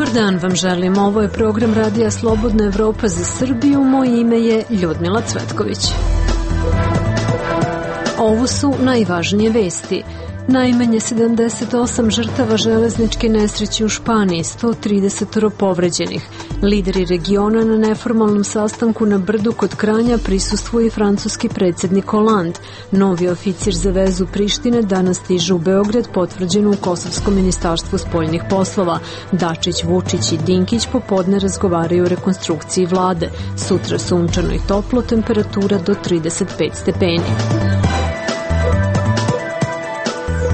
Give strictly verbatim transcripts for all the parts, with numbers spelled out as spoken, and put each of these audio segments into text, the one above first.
Dobar dan vam želim. Ovo je program Radija Slobodna Evropa za Srbiju. Moje ime je Ljudmila Cvetković. Ovo su najvažnije vesti. Najmanje sedamdeset osam žrtava železničke nesreće u Španiji, sto trideset povređenih. Lideri regiona na neformalnom sastanku na Brdu kod Kranja prisustvuje i francuski predsjednik Hollande. Novi oficir za vezu Prištine danas stiže u Beograd, potvrđeno u Kosovskom ministarstvu spoljnih poslova. Dačić, Vučić i Dinkić popodne razgovaraju o rekonstrukciji vlade. Sutra sunčano i toplo, temperatura do trideset pet stepeni.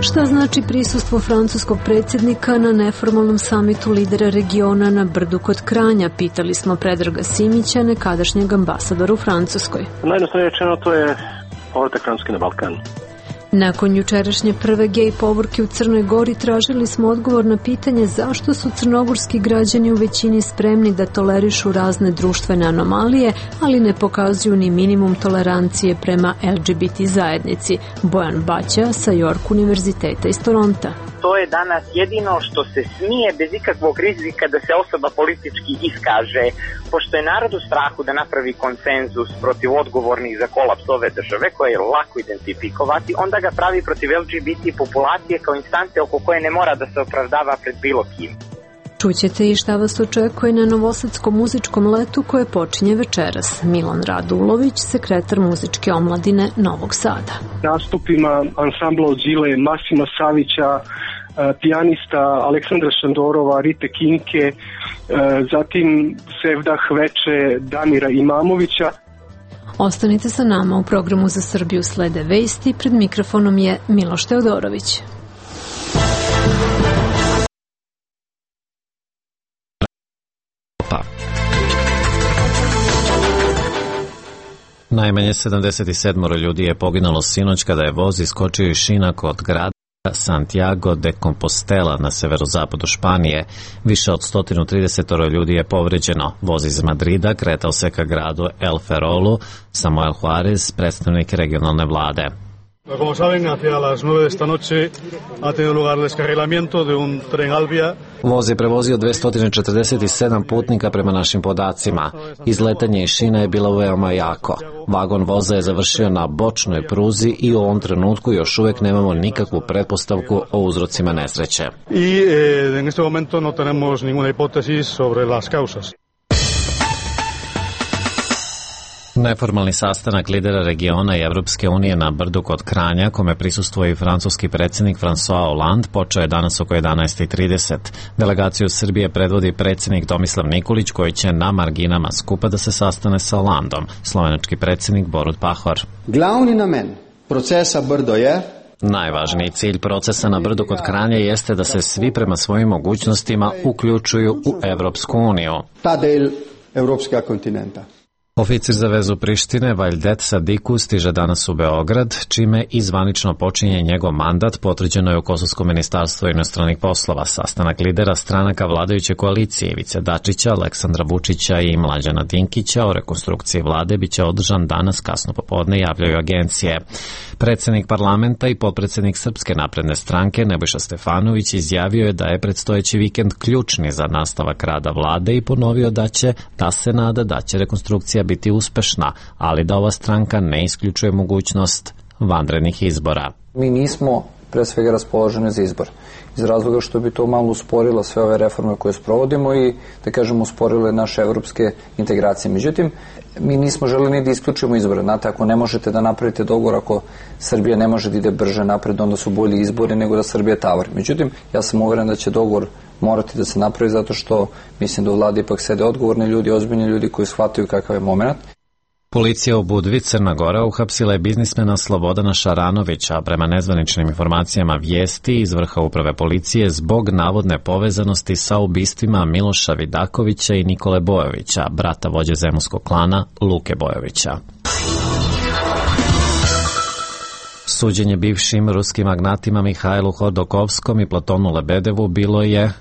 Šta znači prisustvo francuskog predsjednika na neformalnom samitu lidera regiona na Brdu kod Kranja? Pitali smo Predraga Simića, nekadašnjeg ambasadora u Francuskoj. Najjednostavnije rečeno, to je povratak Francuske na Balkan. Nakon jučerašnje prve gej povorke u Crnoj Gori tražili smo odgovor na pitanje zašto su crnogorski građani u većini spremni da tolerišu razne društvene anomalije, ali ne pokazuju ni minimum tolerancije prema el ge be te zajednici. Bojan Baća sa York univerziteta iz Toronta. To je danas jedino što se smije bez ikakvog rizika da se osoba politički iskaže. Pošto je narod u strahu da napravi konsenzus protiv odgovornih za kolaps ove države, koje je lako identifikovati, onda ga pravi protiv el ge be te populacije kao instance oko koje ne mora da se opravdava pred bilo kim. Čućete i šta vas očekuje na Novosadskom muzičkom letu koje počinje večeras. Milan Radulović, sekretar muzičke omladine Novog Sada. Nastupima ansambla Ođile, Masima Savića, pijanista Aleksandra Šandorova, Rite Kinke, zatim Sevdah Veče, Damira Imamovića. Ostanite sa nama, u programu Za Srbiju slede vesti, pred mikrofonom je Miloš Teodorović. Najmanje sedamdeset sedam ljudi je poginulo sinoć kada je voz iskočio iz šina kod grada Santiago de Compostela na severozapadu Španije. Više od sto trideset ljudi je povređeno. Voz iz Madrida kretao se ka gradu El Ferrolu. Samuel Juarez, predstavnik regionalne vlade. Como saben, hacia las nueve de esta noche ha tenido lugar el descarrilamiento de un tren Alvia. Voz je prevozio dvesta četrdeset sedam putnika prema našim podacima. Izletanje iz šina je bilo veoma jako. Vagon voza je završio na bočnoj pruzi i u ovom trenutku još uvijek nemamo nikakvu pretpostavku o uzrocima nesreće. I eh, en este momento no tenemos ninguna hipótesis sobre las causas. Neformalni sastanak lidera regiona i Evropske unije na Brdu kod Kranja, kome prisustvuje i francuski predsjednik François Hollande, počeo je danas oko jedanaest i trideset. Delegaciju Srbije predvodi predsjednik Tomislav Nikolić, koji će na marginama skupa da se sastane sa Hollandom. Slovenački predsjednik Borut Pahor. Glavni namen procesa Brdo je... Najvažniji cilj procesa na Brdu kod Kranja jeste da se svi prema svojim mogućnostima uključuju u Evropsku uniju. Ta del Evropskog kontinenta. Oficir za vezu Prištine Vajdet Sadiku stiže danas u Beograd, čime i zvanično počinje njegov mandat, potvrđeno je u Kosovskom ministarstvu inostranih poslova. Sastanak lidera stranaka vladajuće koalicije Ivice Dačića, Aleksandra Vučića i Mlađana Dinkića o rekonstrukciji vlade biće održan danas kasno popodne, javljaju agencije. Predsjednik parlamenta i potpredsjednik Srpske napredne stranke Nebojša Stefanović izjavio je da je predstojeći vikend ključni za nastavak rada vlade i ponovio da će, da se nada da će rekonstrukcija biti uspešna, ali da ova stranka ne isključuje mogućnost vanrednih izbora. Mi nismo pre svega raspoloženi za izbor, iz razloga što bi to malo usporilo sve ove reforme koje sprovodimo i, da kažemo, usporile naše evropske integracije. Međutim, mi nismo želeli ni da isključimo izbore. Znate, ako ne možete da napravite dogovor, ako Srbija ne može da ide brže napred, onda su bolji izbori nego da Srbija tavari. Međutim, ja sam uveren da će dogovor morati da se napravi, zato što mislim da u vladi ipak sede odgovorni ljudi, ozbiljni ljudi koji shvataju kakav je moment. Policija u Budvi, Crna Gora, uhapsila je biznismena Slobodana Šaranovića, prema nezvaničnim informacijama vijesti iz vrha uprave policije, zbog navodne povezanosti sa ubistvima Miloša Vidakovića i Nikole Bojovića, brata vođe zemunskog klana Luke Bojovića. Suđenje bivšim ruskim magnatima Mihajlu Hodorkovskom i Platonu Lebedevu bilo je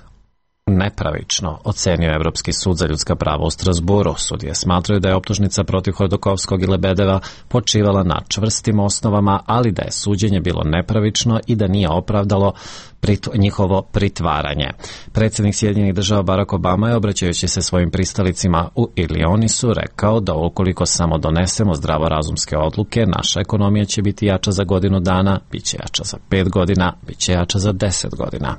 nepravično, ocenio Evropski sud za ljudska prava u Strasburu. Sudije smatraju da je optužnica protiv Hodorkovskog i Lebedeva počivala na čvrstim osnovama, ali da je suđenje bilo nepravično i da nije opravdalo prit, njihovo pritvaranje. Predsjednik Sjedinjenih država Barack Obama je, obraćajući se svojim pristalicima u Ilionisu, rekao da ukoliko samo donesemo zdravorazumske odluke, naša ekonomija će biti jača za godinu dana, bit će jača za pet godina, bit će jača za deset godina.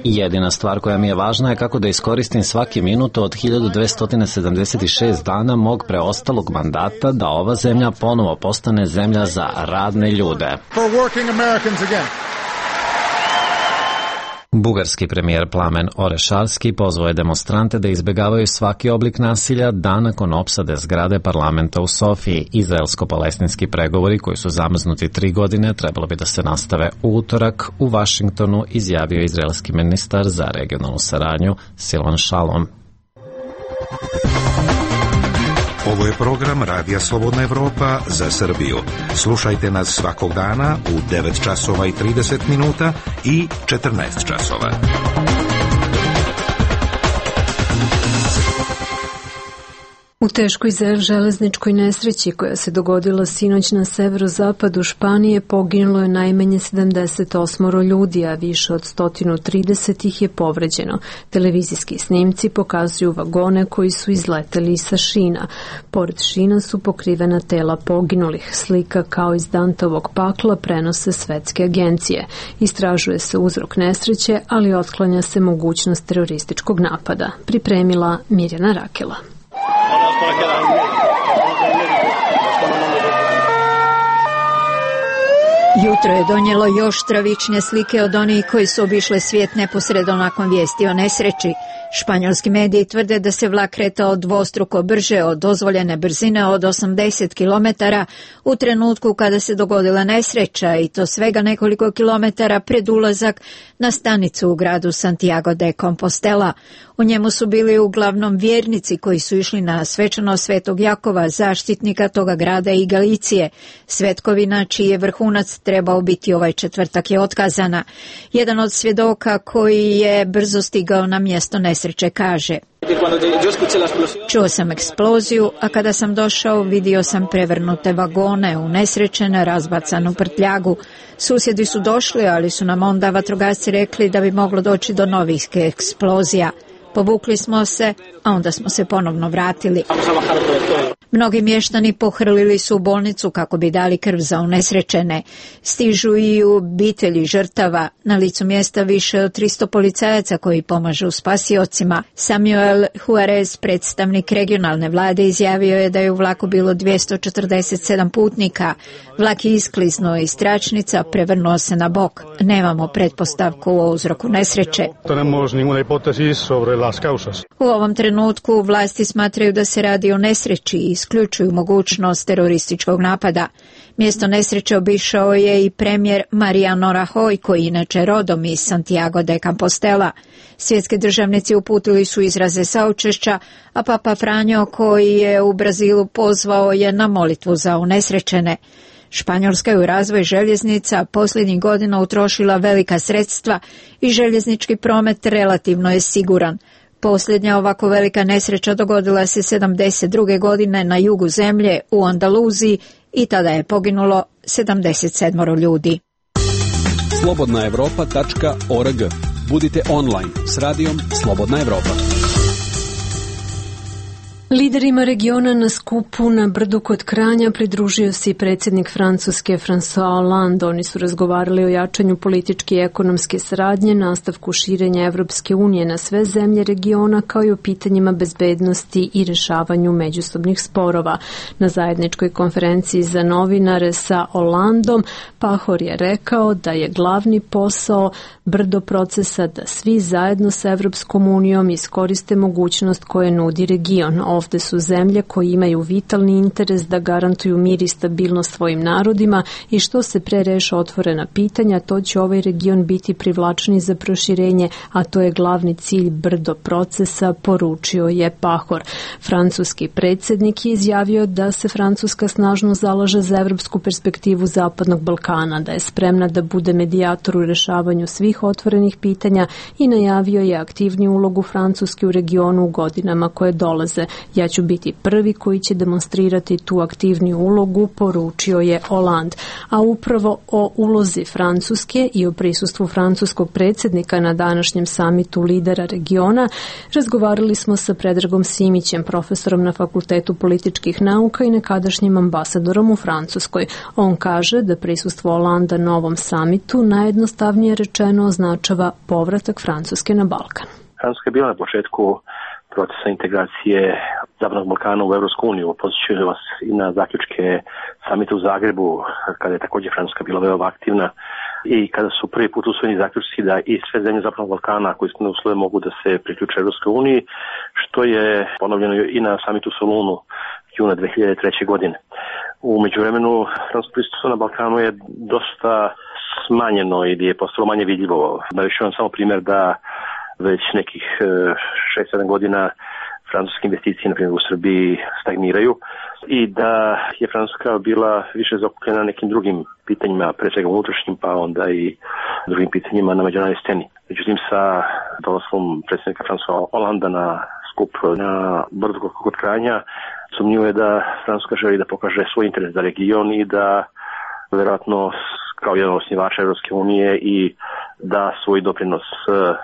Jedina stvar koja mi je važna je kako da iskoristim svaki minut od hiljadu dvesta sedamdeset šest dana mog preostalog mandata da ova zemlja ponovo postane zemlja za radne ljude. Bugarski premijer Plamen Orešarski pozvao je demonstrante da izbjegavaju svaki oblik nasilja dan nakon opsade zgrade parlamenta u Sofiji. Izraelsko-palestinski pregovori koji su zamrznuti tri godine trebalo bi da se nastave u utorak u Vašingtonu, izjavio izraelski ministar za regionalnu saradnju Silvan Shalom. Ovo je program Radija Slobodna Evropa za Srbiju. Slušajte nas svakog dana u devet časova i trideset minuta i četrnaest časova. U teškoj železničkoj nesreći koja se dogodila sinoć na severozapadu Španije poginulo je najmanje sedamdeset osam ljudi, a više od sto trideset ih je povređeno. Televizijski snimci pokazuju vagone koji su izleteli sa šina. Pored šina su pokrivena tela poginulih. Slika kao iz Dantovog pakla prenose svetske agencije. Istražuje se uzrok nesreće, ali otklanja se mogućnost terorističkog napada. Pripremila Mirjana Rakela. Jutro je donijelo još stravičnije slike od onih koji su obišle svijet neposredno nakon vijesti o nesreći. Španjolski mediji tvrde da se vlak kretao dvostruko brže od dozvoljene brzine od osamdeset kilometara u trenutku kada se dogodila nesreća, i to svega nekoliko kilometara pred ulazak na stanicu u gradu Santiago de Compostela. U njemu su bili uglavnom vjernici koji su išli na svečanost Svetog Jakova, zaštitnika toga grada i Galicije. Svetkovina čiji je vrhunac trebao biti ovaj četvrtak je otkazana. Jedan od svjedoka koji je brzo stigao na mjesto nesreće kaže: čuo sam eksploziju, a kada sam došao vidio sam prevrnute vagone, unesrećene, razbacanu prtljagu. Susjedi su došli, ali su nam onda vatrogasci rekli da bi moglo doći do novih eksplozija. Povukli smo se, a onda smo se ponovno vratili. Mnogi mještani pohrlili su u bolnicu kako bi dali krv za unesrećene. Stižu i u obitelji žrtava. Na licu mjesta više od tristo policajaca koji pomažu spasiocima. Samuel Juarez, predstavnik regionalne vlade, izjavio je da je u vlaku bilo dvjesto četrdeset sedam putnika. Vlak je iskliznuo iz tračnica, prevrnuo se na bok. Nemamo pretpostavku o uzroku nesreće. U ovom trenutku vlasti smatraju da se radi o nesreći i isključuju mogućnost terorističkog napada. Mjesto nesreće obišao je i premijer Mariano Rajoy, koji inače rodom iz Santiago de Compostela. Svjetski državnici uputili su izraze saučešća, a Papa Franjo, koji je u Brazilu, pozvao je na molitvu za unesrećene. Španjolska je u razvoj željeznica posljednjih godina utrošila velika sredstva i željeznički promet relativno je siguran. Posljednja ovako velika nesreća dogodila se sedamdeset druge godine na jugu zemlje u Andaluziji i tada je poginulo sedamdeset sedam ljudi. slobodna evropa tačka org. Budite online s radijom Slobodna Evropa. Liderima regiona na skupu na brdu kod Kranja pridružio se i predsjednik Francuske François Hollande. Oni su razgovarali o jačanju političke i ekonomske saradnje, nastavku širenja Evropske unije na sve zemlje regiona, kao i o pitanjima bezbednosti i rješavanju međusobnih sporova. Na zajedničkoj konferenciji za novinare sa Hollandom, Pahor je rekao da je glavni posao brdo procesa da svi zajedno sa Evropskom unijom iskoriste mogućnost koje nudi region. Ovde su zemlje koje imaju vitalni interes da garantuju mir i stabilnost svojim narodima i što se pre reše otvorena pitanja, to će ovaj region biti privlačniji za proširenje, a to je glavni cilj brdo procesa, poručio je Pahor. Francuski predsjednik je izjavio da se Francuska snažno zalaže za evropsku perspektivu Zapadnog Balkana, da je spremna da bude medijator u rešavanju svih otvorenih pitanja i najavio je aktivniju ulogu Francuske u regionu u godinama koje dolaze. Ja ću biti prvi koji će demonstrirati tu aktivniju ulogu, poručio je Hollande. A upravo o ulozi Francuske i o prisustvu francuskog predsjednika na današnjem samitu lidera regiona razgovarali smo sa Predragom Simićem, profesorom na Fakultetu političkih nauka i nekadašnjim ambasadorom u Francuskoj. On kaže da prisustvo Hollanda na ovom samitu najjednostavnije rečeno označava povratak Francuske na Balkan. Francuska je bila na početku procesa integracije Zapadnog Balkana u Evropsku uniju. Posjećujem vas i na zaključke samita u Zagrebu, kada je također Francuska bila veoma aktivna i kada su prvi put usvojeni zaključci da i sve zemlje Zapadnog Balkana koji su na uslove mogu da se priključe Evropskoj uniji, što je ponovljeno i na samitu u Solunu juna dve hiljade treće. godine. U međuvremenu francusko prisustvo na Balkanu je dosta smanjeno ili je postalo manje vidljivo. Navešću vam samo primjer da već nekih šest sedam godina francuske investicije, na primjer u Srbiji, stagniraju i da je Francuska bila više zakupljena nekim drugim pitanjima, pre svega unutrašnjim, pa onda i drugim pitanjima na međunarodnoj sceni. Međutim, sa dolaskom predsjednika Françoisa Hollanda na skup na brdu kod Kranja, sumnjivo je da Francuska želi da pokaže svoj interes za region i da verovatno kao jedan osnivač Evropske unije i da svoj doprinos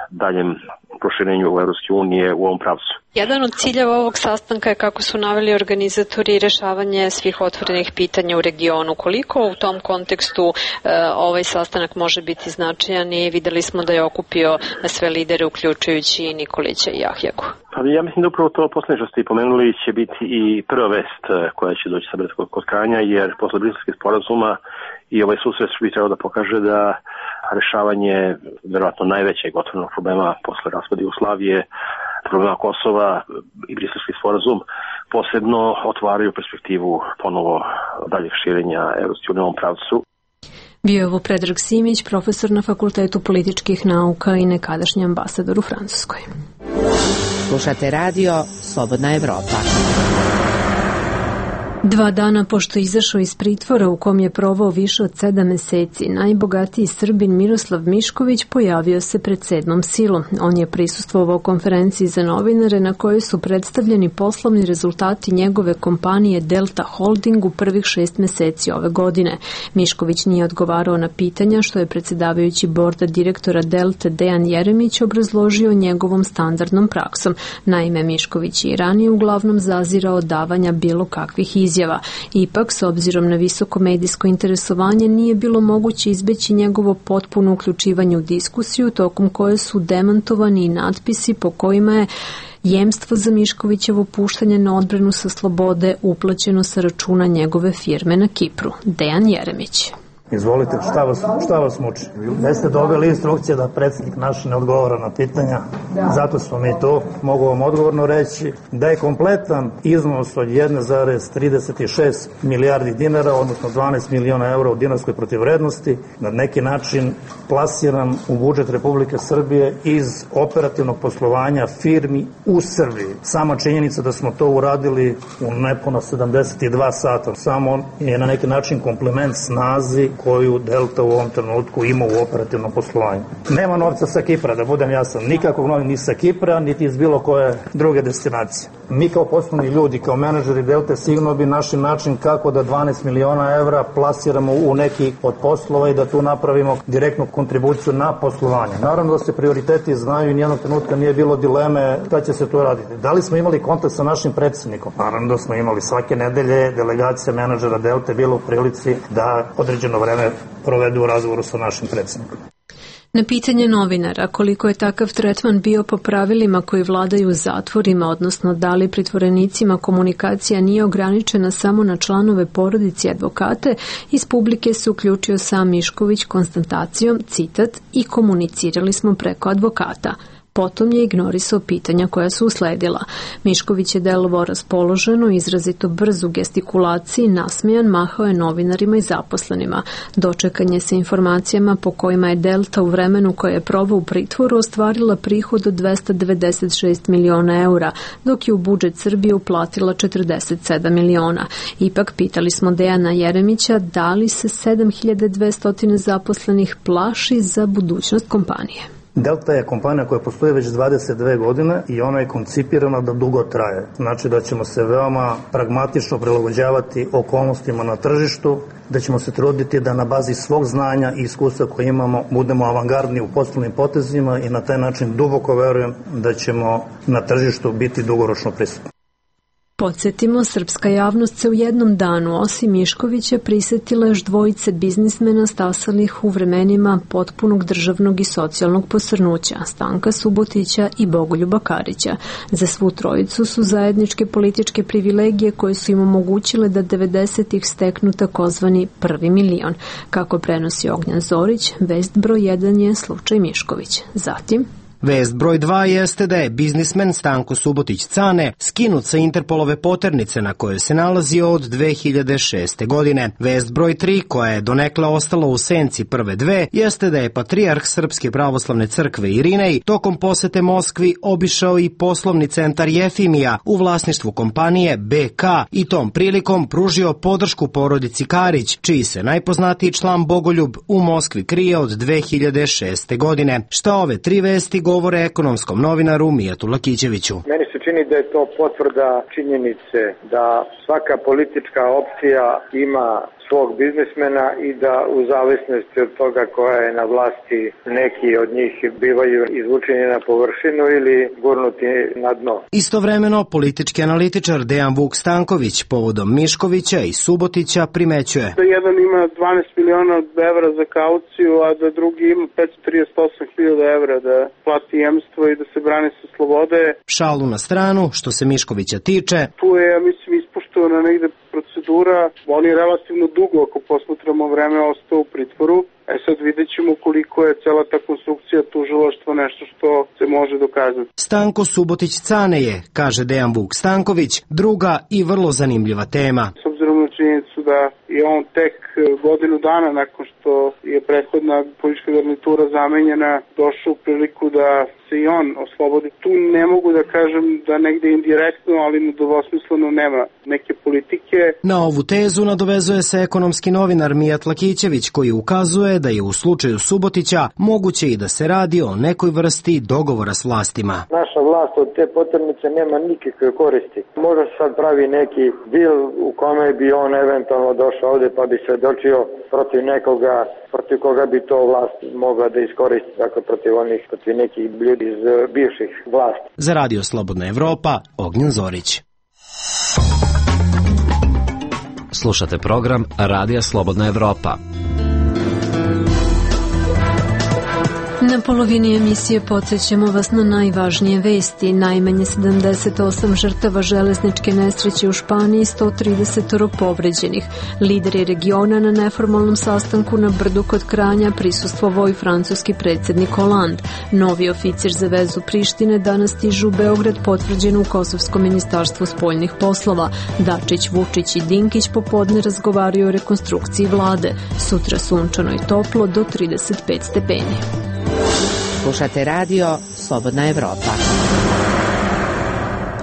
daljem proširenju Evropske unije u ovom pravcu. Jedan od ciljeva ovog sastanka je, kako su naveli organizatori, rešavanje svih otvorenih pitanja u regionu. Koliko u tom kontekstu e, ovaj sastanak može biti značajan i videli smo da je okupio sve lidere, uključujući i Nikolića i Jahjagu? Pa ja mislim da upravo to posljednje što ste pomenuli će biti i prva vest koja će doći sa Brdskog kod Kranja, jer posle Briselskih sporazuma i ovaj susret bi trebao da pokaže da rešavanje verovatno najvećeg otvorenog problema posle raspada Jugoslavije, problema Kosova i Briselski sporazum posebno otvaraju perspektivu ponovo daljeg širenja Evropske unije u ovom pravcu. Bio je ovo Predrag Simić, profesor na Fakultetu političkih nauka i nekadašnji ambasador u Francuskoj. Slušate radio Slobodna Evropa. Dva dana pošto je izašao iz pritvora u kom je provao više od sedam meseci, najbogatiji Srbin Miroslav Mišković pojavio se pred sedmom silom. On je prisustvovao konferenciji za novinare na kojoj su predstavljeni poslovni rezultati njegove kompanije Delta Holding u prvih šest meseci ove godine. Mišković nije odgovarao na pitanja što je predsjedavajući borda direktora Delte Dejan Jeremić obrazložio njegovom standardnom praksom. Naime, Mišković je i ranije uglavnom zazirao davanja bilo kakvih izjava. Ipak, s obzirom na visoko medijsko interesovanje, nije bilo moguće izbeći njegovo potpuno uključivanje u diskusiju, tokom koje su demantovani i natpisi po kojima je jemstvo za Miškovićevo puštanje na odbranu sa slobode uplaćeno sa računa njegove firme na Kipru. Dejan Jeremić. Izvolite, šta vas, šta vas muči? Da ste dobili instrukcije da predsjednik naš ne odgovara na pitanja, zato smo mi to, mogu vam odgovorno reći, da je kompletan iznos od jedan zarez trideset šest milijardi dinara, odnosno dvanaest miliona eura u dinarskoj protivvrednosti, na neki način plasiran u budžet Republike Srbije iz operativnog poslovanja firmi u Srbiji. Sama činjenica da smo to uradili u nepuno sedamdeset dva sata, samo je na neki način kompliment snazi koju Delta u ovom trenutku ima u operativnom poslovanju. Nema novca sa Kipra, da budem jasan, nikakvog novca ni sa Kipra, niti iz bilo koje druge destinacije. Mi kao poslovni ljudi, kao menadžeri Delte, sigurno bi našli način kako da dvanaest miliona evra plasiramo u neki od poslova i da tu napravimo direktnu kontribuciju na poslovanje. Naravno da se prioriteti znaju i nijednog trenutka nije bilo dileme šta će se tu raditi. Da li smo imali kontakt sa našim predsjednikom? Naravno da smo imali. Svake nedelje delegacija menadžera Delte bila u prilici da određeno vreme provedu u razgovoru sa našim predsjednikom. Na pitanje novinara koliko je takav tretman bio po pravilima koji vladaju u zatvorima, odnosno da li pritvorenicima komunikacija nije ograničena samo na članove porodice i advokate, iz publike se uključio sam Mišković konstatacijom, citat, i komunicirali smo preko advokata. Potom je ignorisao pitanja koja su usledila. Mišković je delovao raspoloženo, izrazito brz u gestikulaciji, nasmejan, mahao je novinarima i zaposlenima. Dočekan je sa informacijama po kojima je Delta u vremenu koje je proveo u pritvoru ostvarila prihod od dvesta devedeset šest miliona eura, dok je u budžet Srbije uplatila četrdeset sedam miliona. Ipak pitali smo Dejana Jeremića da li se sedam hiljada dvesta zaposlenih plaši za budućnost kompanije. Delta je kompanija koja postoji već dvadeset dve godine i ona je koncipirana da dugo traje. Znači da ćemo se veoma pragmatično prilagođavati okolnostima na tržištu, da ćemo se truditi da na bazi svog znanja i iskustva koje imamo budemo avangardni u poslovnim potezima i na taj način duboko verujem da ćemo na tržištu biti dugoročno prisutni. Podsjetimo, srpska javnost se u jednom danu, osim Miškovića, prisetila još dvojice biznismena stasalih u vremenima potpunog državnog i socijalnog posrnuća, Stanka Subotića i Bogoljuba Karića. Za svu trojicu su zajedničke političke privilegije koje su im omogućile da devedesetih steknu takozvani prvi milion. Kako prenosi Ognjan Zorić, vest broj jedan je slučaj Mišković. Zatim... Vest broj dva jeste da je biznismen Stanko Subotić Cane skinut sa Interpolove poternice na kojoj se nalazio od dve hiljade šeste. godine. Vest broj tri, koja je donekle ostala u senci prve dve, jeste da je patrijarh Srpske pravoslavne crkve Irinej tokom posete Moskvi obišao i poslovni centar Jefimija u vlasništvu kompanije B K i tom prilikom pružio podršku porodici Karić, čiji se najpoznatiji član Bogoljub u Moskvi krije od dve hiljade šeste. godine. Šta ove tri vesti govore ekonomskom novinaru Mijatu Lakićeviću? Meni se čini da je to potvrda činjenice da svaka politička opcija ima svog biznismena i da u zavisnosti od toga koja je na vlasti neki od njih bivaju izvučeni na površinu ili gurnuti na dno. Istovremeno, politički analitičar Dejan Vuk Stanković povodom Miškovića i Subotića primećuje da jedan ima dvanaest miliona evra za kauciju, a da drugi ima petsto trideset osam hiljada evra da plati jemstvo i da se brani sa slobode. Šalu na stranu, što se Miškovića tiče, tu je, ja mislim, ispoštovana negde procedura. On je relativno dugo, ako posmatramo vreme, ostao u pritvoru. E sad vidjet ćemo koliko je cela ta konstrukcija tužilaštva nešto što se može dokazati. Stanko Subotić Cane je, kaže Dejan Vuk Stanković, druga i vrlo zanimljiva tema. S obzirom na činjenicu da je on tek godinu dana nakon što je prethodna politička garnitura zamenjena došao u priliku da se i on oslobodi. Tu ne mogu da kažem da negde indirektno, ali nedvosmisleno nema neke politike. Na ovu tezu nadovezuje se ekonomski novinar Mijat Lakićević, koji ukazuje da je u slučaju Subotića moguće i da se radi o nekoj vrsti dogovora s vlastima. Naša vlast od te poternice nema nikakve koristi. Možda se sad pravi neki dil u kome bi on eventualno došao ovde pa bi se dočio protiv nekoga, protiv koga bi to vlast mogla da iskoristi, dakle protiv onih, protiv nekih ljudi iz bivših vlasti. Za Radio Slobodna Evropa, Ognjan Zorić. Slušate program Radija Slobodna Evropa. Na polovini emisije podsjećamo vas na najvažnije vesti. Najmanje sedamdeset osam žrtava železničke nesreće u Španiji, sto trideset povređenih. Lideri regiona na neformalnom sastanku na Brdu kod Kranja prisustvovao i francuski predsjednik Hollande. Novi oficir za vezu Prištine danas stižu u Beograd, potvrđen u Kosovskom ministarstvu spoljnih poslova. Dačić, Vučić i Dinkić popodne razgovaraju o rekonstrukciji vlade. Sutra sunčano i toplo do trideset pet stepeni. Slušate radio Slobodna Evropa.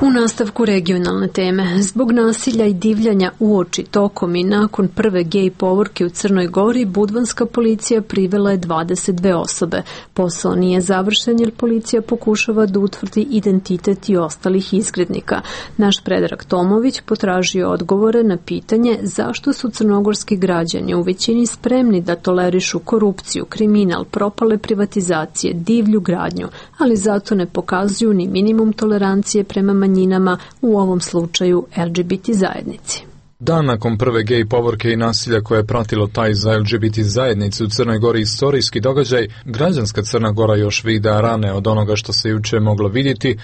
U nastavku regionalne teme, zbog nasilja i divljanja uoči, tokom i nakon prve gej povorke u Crnoj Gori, budvanska policija privela je dvadeset dve osobe. Posao nije završen jer policija pokušava da utvrdi identitet i ostalih izgrednika. Naš Predrag Tomović potražio odgovore na pitanje zašto su crnogorski građani u većini spremni da tolerišu korupciju, kriminal, propale privatizacije, divlju gradnju, ali zato ne pokazuju ni minimum tolerancije prema manjinama, u ovom slučaju L G B T zajednici. Dan nakon prve gej povorke i nasilja koje je pratilo taj za L G B T zajednicu u Crnoj Gori istorijski događaj, građanska Crna Gora još vida rane od onoga što se juče moglo vidjeti.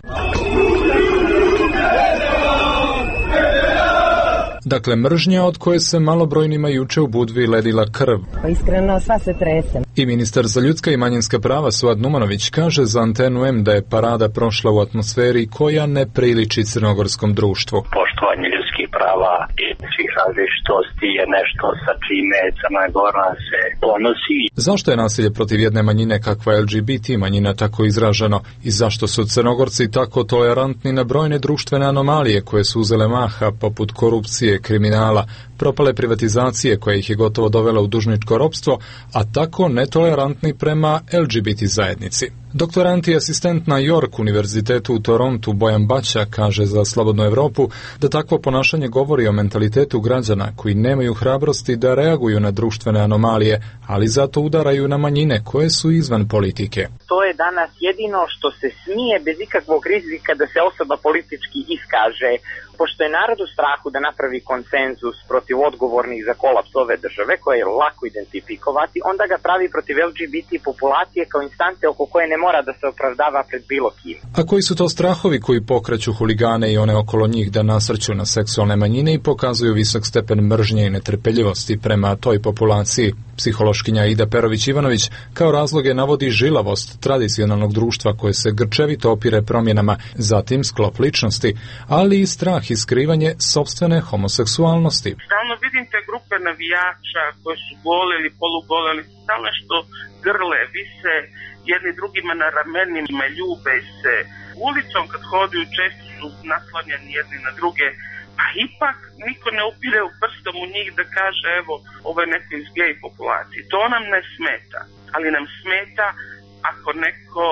Dakle, mržnja od koje se malobrojnima juče u Budvi ledila krv. Pa iskreno, sva se tresem. I ministar za ljudska i manjinska prava Suad Numanović kaže za Antenu M da je parada prošla u atmosferi koja ne priliči crnogorskom društvu. Poštovanje ljudskih prava i svih različitosti je nešto sa čime Crna Gora se ponosi. Zašto je nasilje protiv jedne manjine kakva L G B T manjina tako izraženo i zašto su Crnogorci tako tolerantni na brojne društvene anomalije koje su uzele maha poput korupcije, kriminala, propale privatizacije koja ih je gotovo dovela u dužničko ropstvo, a tako netolerantni prema L G B T zajednici. Doktorant i asistent na York univerzitetu u Torontu Bojan Baća kaže za Slobodnu Evropu da takvo ponašanje govori o mentalitetu građana koji nemaju hrabrosti da reaguju na društvene anomalije, ali zato udaraju na manjine koje su izvan politike. To je danas jedino što se smije bez ikakvog rizika da se osoba politički iskaže. Pošto je narod u strahu da napravi konsenzus protiv odgovornih za kolaps ove države, koje je lako identifikovati, onda ga pravi protiv L G B T populacije kao instance oko koje ne mora da se opravdava pred bilo kim. A koji su to strahovi koji pokreću huligane i one okolo njih da nasrću na seksualne manjine i pokazuju visok stepen mržnje i netrpeljivosti prema toj populaciji? Psihološkinja Ida Perović-Ivanović kao razloge navodi žilavost tradicionalnog društva koje se grčevito opire promjenama, zatim sklop ličnosti, ali i strah i skrivanje sopstvene homoseksualnosti. Stalno vidim te grupe navijača koje su gole ili polugole, ali stalno što grle, vise jedni drugima na ramenima, ljube se. Ulicom kad hodaju često su naslanjani jedni na druge, a ipak niko ne upire u prstom u njih da kaže evo, ovo je neko iz gej populacije. To nam ne smeta, ali nam smeta ako neko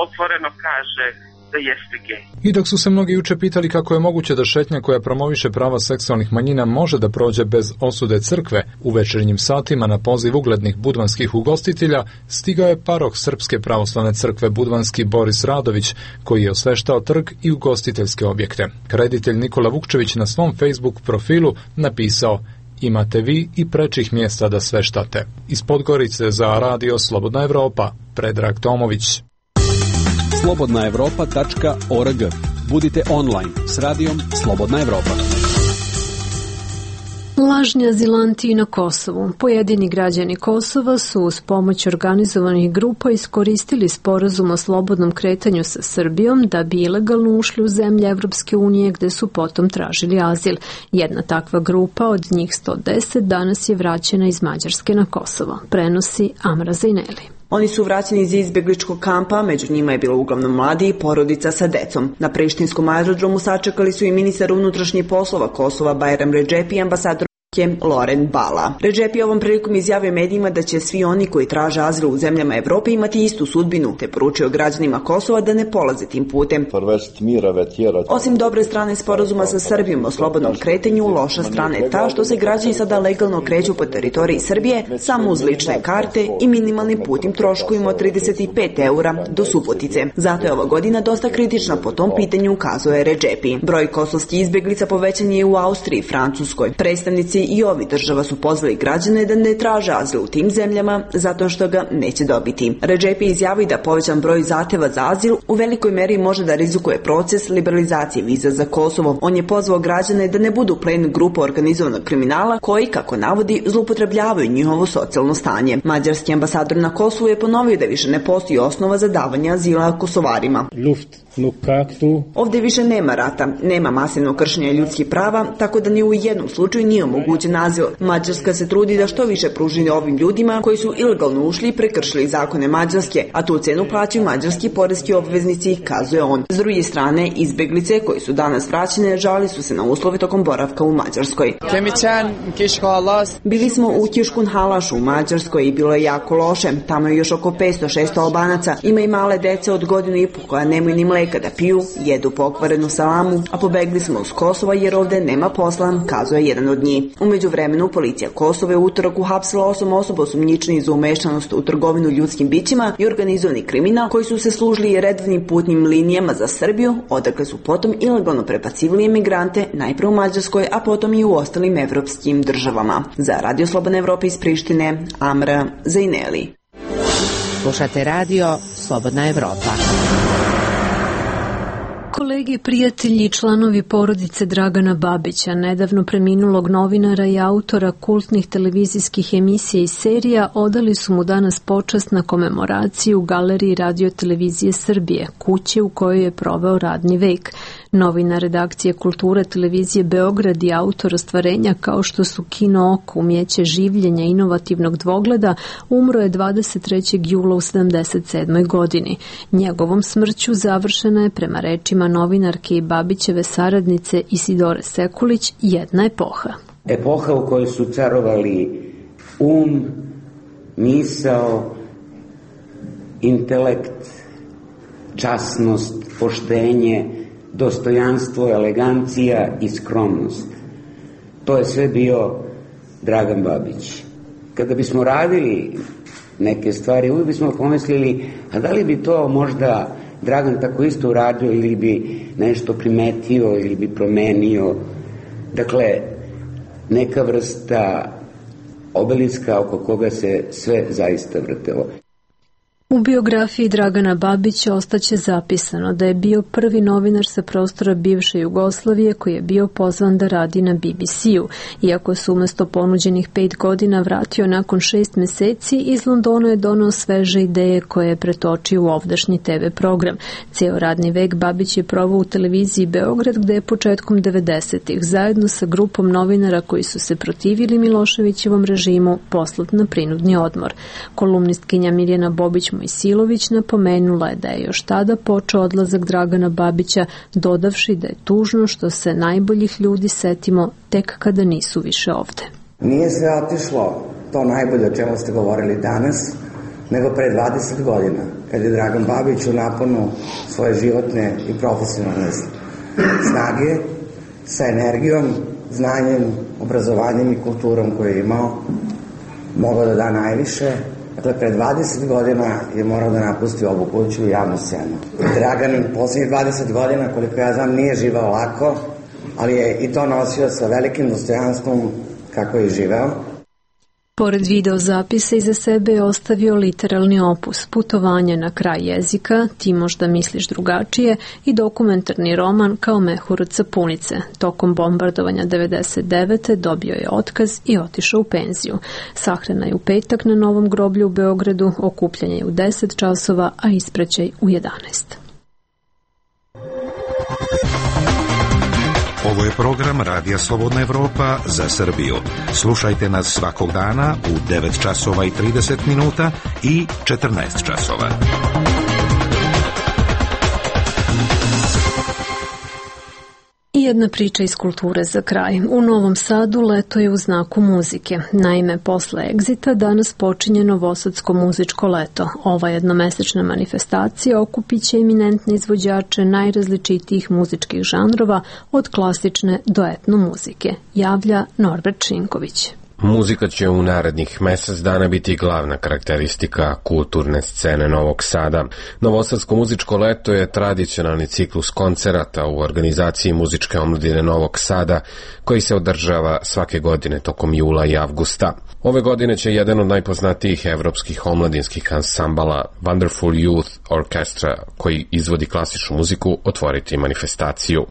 otvoreno kaže da jeste gej. I dok su se mnogi juče pitali kako je moguće da šetnja koja promoviše prava seksualnih manjina može da prođe bez osude crkve, u večernjim satima na poziv uglednih budvanskih ugostitelja stigao je paroh Srpske pravoslavne crkve Budvanski Boris Radović, koji je osveštao trg i ugostiteljske objekte. Reditelj Nikola Vukčević na svom Facebook profilu napisao: imate vi i prečih mjesta da sveštate. Iz Podgorice za Radio Slobodna Evropa, Predrag Tomović. slobodna evropa tačka org. Budite online s radijom Slobodna Evropa. Lažni azilanti na Kosovu. Pojedini građani Kosova su uz pomoć organizovanih grupa iskoristili sporazum o slobodnom kretanju sa Srbijom da bi ilegalno ušli u zemlje Evropske unije gde su potom tražili azil. Jedna takva grupa, od njih sto deset, danas je vraćena iz Mađarske na Kosovo. Prenosi Amra Zajneli. Oni su vraćeni iz izbjegličkog kampa, među njima je bilo uglavnom mladi i porodica sa decom. Na prištinskom aerodromu sačekali su i ministar unutrašnjih poslova Kosova Bajram Redžepi i ambasador Loren Bala. Redžepi ovom prilikom izjavio medijima da će svi oni koji traže azil u zemljama Evrope imati istu sudbinu, te poručio građanima Kosova da ne polaze tim putem. Osim dobre strane sporazuma sa Srbijom o slobodnom kretanju, loša strana je ta što se građani sada legalno kreću po teritoriji Srbije samo uz lične karte i minimalnim putnim troškovima od trideset pet eura do Subotice. Zato je ova godina dosta kritična po tom pitanju, ukazuje Redžepi. Broj kosovskih izbjeglica povećan je u Austriji i Francuskoj. Predstavnici i ovih država su pozvali građane da ne traže azil u tim zemljama zato što ga neće dobiti. Redžepi izjavi da povećan broj zahteva za azil u velikoj meri može da rizikuje proces liberalizacije viza za Kosovo. On je pozvao građane da ne budu plen grupa organizovanog kriminala koji, kako navodi, zloupotrebljavaju njihovo socijalno stanje. Mađarski ambasador na Kosovu je ponovio da više ne postoji osnova za davanje azila Kosovarima. Luft. Ovdje više nema rata, nema masivnog kršenja ljudskih prava, tako da ni u jednom slučaju nije omogućen azil. Mađarska se trudi da što više pruži ovim ljudima koji su ilegalno ušli i prekršili zakone Mađarske, a tu cenu plaćaju mađarski poreski obveznici, kazuje on. S druge strane, izbeglice koji su danas vraćene žali su se na uslove tokom boravka u Mađarskoj. Bili smo u Kiškun Halašu u Mađarskoj i bilo je jako loše. Tamo je još oko petsto šesto Albanaca. Ima i male dece od godinu i po koja nemaju ni mleka kada piju, jedu pokvarenu salamu, a pobegli smo uz Kosova jer ovde nema posla, kazuje jedan od njih. U međuvremenu, policija Kosova je u utorak uhapsila osam osoba osumnjičenih za umešanost u trgovinu ljudskim bićima i organizovani kriminal koji su se služili redovnim putnim linijama za Srbiju, odakle su potom ilegalno prebacivali emigrante najpre u Mađarskoj, a potom i u ostalim evropskim državama. Za Radio Slobodna Evropa iz Prištine, Amra Zajneli. Slušate Radio Slobodna Evropa. Kolege, prijatelji i članovi porodice Dragana Babića, nedavno preminulog novinara i autora kultnih televizijskih emisija i serija, odali su mu danas počast na komemoraciju u Galeriji Radio Televizije Srbije, kuće u kojoj je proveo radni vek. Novinar redakcije Kulture televizije Beograd i autor ostvarenja kao što su Kino oko, Umijeće življenja inovativnog dvogleda, umro je dvadeset trećeg jula u sedamdeset sedmoj godini. Njegovom smrću završena je, prema rečima novinarke i Babićeve saradnice Isidore Sekulić, jedna epoha. Epoha u kojoj su carovali um, misao, intelekt, časnost, poštenje, dostojanstvo, elegancija i skromnost. To je sve bio Dragan Babić. Kada bismo radili neke stvari, uvijek bismo pomislili, a da li bi to možda Dragan tako isto uradio ili bi nešto primetio ili bi promenio. Dakle, neka vrsta obeliska oko koga se sve zaista vrtelo. U biografiji Dragana Babića ostaće zapisano da je bio prvi novinar sa prostora bivše Jugoslavije koji je bio pozvan da radi na B B C-u. Iako se umesto ponuđenih pet godina vratio nakon šest meseci, iz Londona je donao sveže ideje koje je pretočio u ovdašnji te ve program. Ceo radni vek Babić je provao u televiziji Beograd, gde je početkom devedesetih zajedno sa grupom novinara koji su se protivili Miloševićevom režimu poslat na prinudni odmor. Kolumnistkinja Mirjana Bobić Mojsilović napomenula je da je još tada počeo odlazak Dragana Babića, dodavši da je tužno što se najboljih ljudi setimo tek kada nisu više ovde. Nije sve otišlo to najbolje o čemu ste govorili danas, nego pre dvadeset godina, kad je Dragan Babić u naponu svoje životne i profesionalne snage, sa energijom, znanjem, obrazovanjem i kulturom koje je imao, mogao da da najviše. Dakle, pre dvadeset godina je morao da napusti ovu kuću i javnu scenu. Dragan poslednjih dvadeset godina, koliko ja znam, nije živao lako, ali je i to nosio sa velikim dostojanstvom kako je živeo. Pored videozapisa iza sebe je ostavio literalni opus, Putovanje na kraj jezika, Ti možda misliš drugačije i dokumentarni roman Kao mehur od sapunice. Tokom bombardovanja devedeset devete dobio je otkaz i otišao u penziju. Sahrana je u petak na Novom groblju u Beogradu, okupljanje je u deset časova, a ispraćaj u jedanaest. Ovo je program Radija Slobodna Evropa za Srbiju. Slušajte nas svakog dana u devet časova i trideset minuta i četrnaest časova. I jedna priča iz kulture za kraj. U Novom Sadu leto je u znaku muzike. Naime, posle Egzita danas počinje Novosadsko muzičko leto. Ova jednomesečna manifestacija okupit će eminentne izvođače najrazličitijih muzičkih žanrova od klasične do etno muzike, javlja Norbert Šinković. Muzika će u narednih mesec dana biti glavna karakteristika kulturne scene Novog Sada. Novosadsko muzičko leto je tradicionalni ciklus koncerata u organizaciji muzičke omladine Novog Sada, koji se održava svake godine tokom jula i avgusta. Ove godine će jedan od najpoznatijih evropskih omladinskih ansambala Wonderful Youth Orchestra, koji izvodi klasičnu muziku, otvoriti manifestaciju.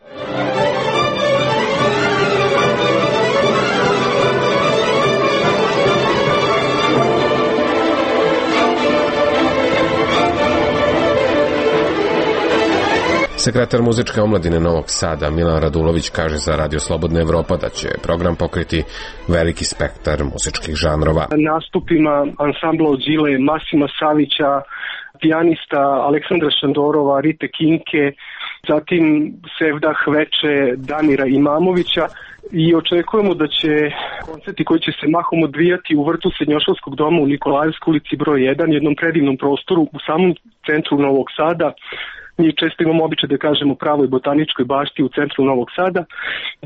Sekretar muzičke omladine Novog Sada Milan Radulović kaže za Radio Slobodna Evropa da će program pokriti veliki spektar muzičkih žanrova. Nastupima ansambla od Đile, Masima Savića, pijanista Aleksandra Šandorova, Rite Kinke, zatim Sevdah Veče, Damira Imamovića, i očekujemo da će koncerti koji će se mahom odvijati u vrtu Srednjoškolskog doma u Nikolajevskoj ulici broj jedan, jednom predivnom prostoru u samom centru Novog Sada. Mi često imamo običaj da kažemo pravoj botaničkoj bašti u centru Novog Sada,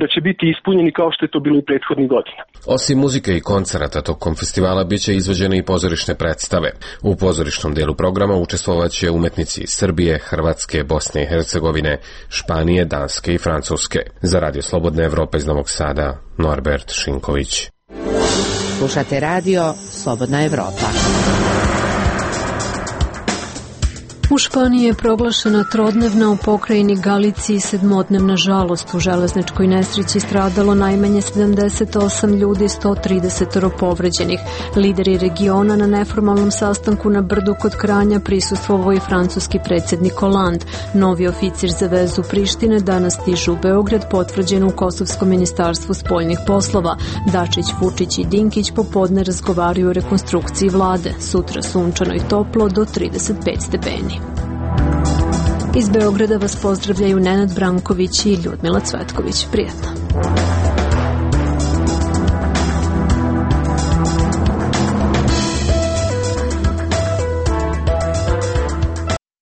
da će biti ispunjeni kao što je to bilo i prethodnih godina. Osim muzike i koncerata tokom festivala biće izvođene i pozorišne predstave. U pozorišnom delu programa učestvovaće umetnici iz Srbije, Hrvatske, Bosne i Hercegovine, Španije, Danske i Francuske. Za Radio Slobodna Evropa iz Novog Sada, Norbert Šinković. Slušate Radio Slobodna Evropa. U Španiji je proglašena trodnevna, u pokrajini Galiciji sedmodnevna žalost. U železničkoj nesreći stradalo najmanje sedamdeset osam ljudi, sto trideset povređenih. Lideri regiona na neformalnom sastanku na Brdu kod Kranja prisustvovao i francuski predsjednik Hollande. Novi oficir za vezu Prištine danas stižu u Beograd, potvrđen u Kosovskom ministarstvu spoljnih poslova. Dačić, Vučić i Dinkić popodne razgovaraju o rekonstrukciji vlade. Sutra sunčano i toplo do trideset pet stepeni. Iz Beograda vas pozdravljaju Nenad Branković i Ljudmila Cvetković. Prijetno.